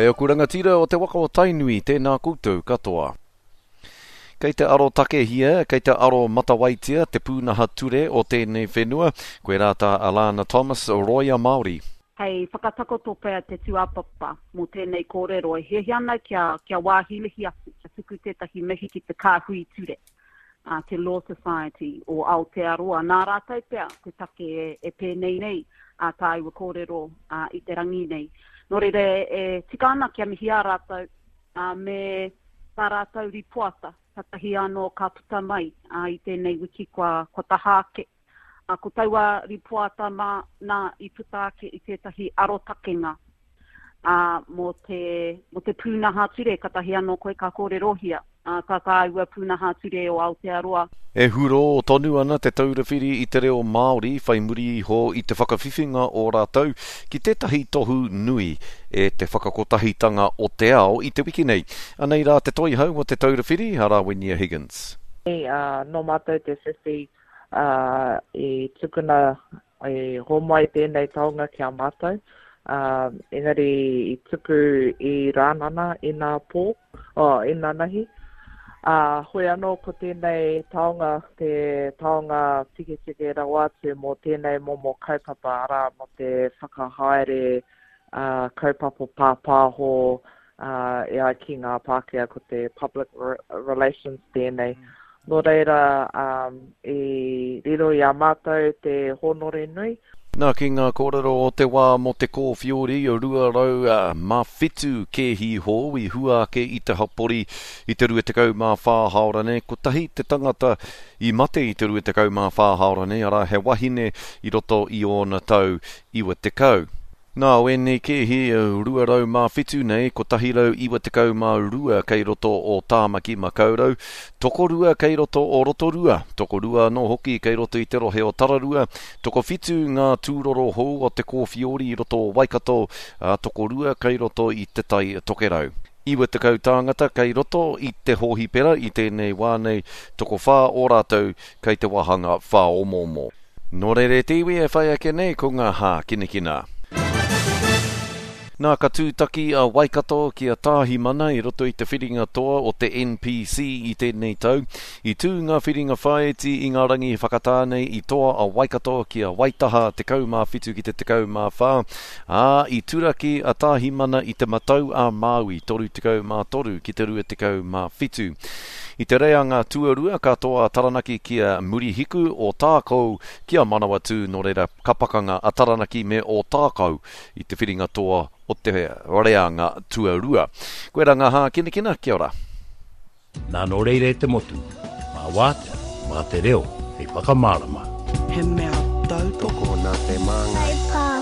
Kei aku rangatira o te waka o Tainui, tēnā koutou katoa. Kei te arotakehia, kei te aro matawaitia te pūnaha ture o tēnei whenua, koirā tā Alana Thomas, rōia Māori. Hei whakatakoto pea te tūāpapa mō tēnei kōrero e hiahia ana kia, kia wāhilihi atu, kia tuku tētahi mihi ki te kāhui ture, a te Law Society o Aotearoa. Nā rātou pea te take e, e pēnei nei a tāua kōrero a, i te rangi nei. Nō reira e, e tika ana kia mihi a rātou a, me tā rātou ripoata, katahi anō ka puta mai a, i tēnei wiki kua, kua taha ake. A, ko taua ripoata mā, nā i puta ake i tētahi arotakenga ā, mō te, mō te pūnaha ture, katahi anō koe ka kōrerohia ā, tā tāua pūnaha ture o Aotearoa. E hurō tonu ana Te Taura Whiri i te Reo Māori whai muri iho i te whakawhiwhinga o rātou ki tētahi tohu nui e te Whakakotahitanga o te Ao i te wiki nei. Anei rā te toihau o Te Taura Whiri, a Rawinia Higgins. Nō mātou te whiwhi i tukuna, i homai tēnei taonga ki a mātou, engari i tuku i Rānana inapō. Oh, inanahi. Ā, hoi anō ko tēnei taonga te taonga tiketike rawa atu mō tēnei momo kaupapa, arā, mō te whakahaere kaupapa pāpāho, ā, e ai ki ngā Pākehā ko te public relations tēnei. Nō reira, ā, i riro i a mātou te hōnore nui. Nā, ki ngā kōrero o te wā mō te kōwhiori 207 kēhi hou i hua ake i te hapori i te 24 hāora nei, kotahi te tangata i mate i te 24 hāora nei, arā, he wahine i roto i ōna tau 90. Nā, o ēnei kēhi 207 nei, 192 kei roto o Tāmaki Makaurau, tokorua kei roto o Rotorua, tokorua anō hoki kei roto i te rohe o Tararua, tokowhitu ngā tūroro hou o te kōwhiori i roto o Waikato, ā, tokorua kei roto i Te Tai Tokerau. 90 tāngata kei roto i te hōhipera i tēnei wā nei, tokowhā o rātou kei te wāhanga whāomoomo. Nō reira e te iwi e whai ake nei ko ngā hākinakina. Nā, ka tūtaki a Waikato ki a Tāhimana i roto i te whiringa toa o te NPC i tēnei tau. I tū ngā whiringa whāiti i ngā rangi whakatā nei i toa a Waikato ki a Waitaha 17 ki te 14, ā, i turaki a Tāhimana i Te Matau a Māui 33 ki te 27. I te reanga tuarua ka toa a Taranaki ki a Murihiku, Ōtākou ki a Manawatū, nō reira ka pakanga a Taranaki me Ōtākou i te whiringa toa o te reanga tuarua. Koirā ngā hākinakina, kia ora. Nā nō reira e te motu, mā wātea, mā te reo hei whakamārama. He mea tautoko. Tokona te māngai.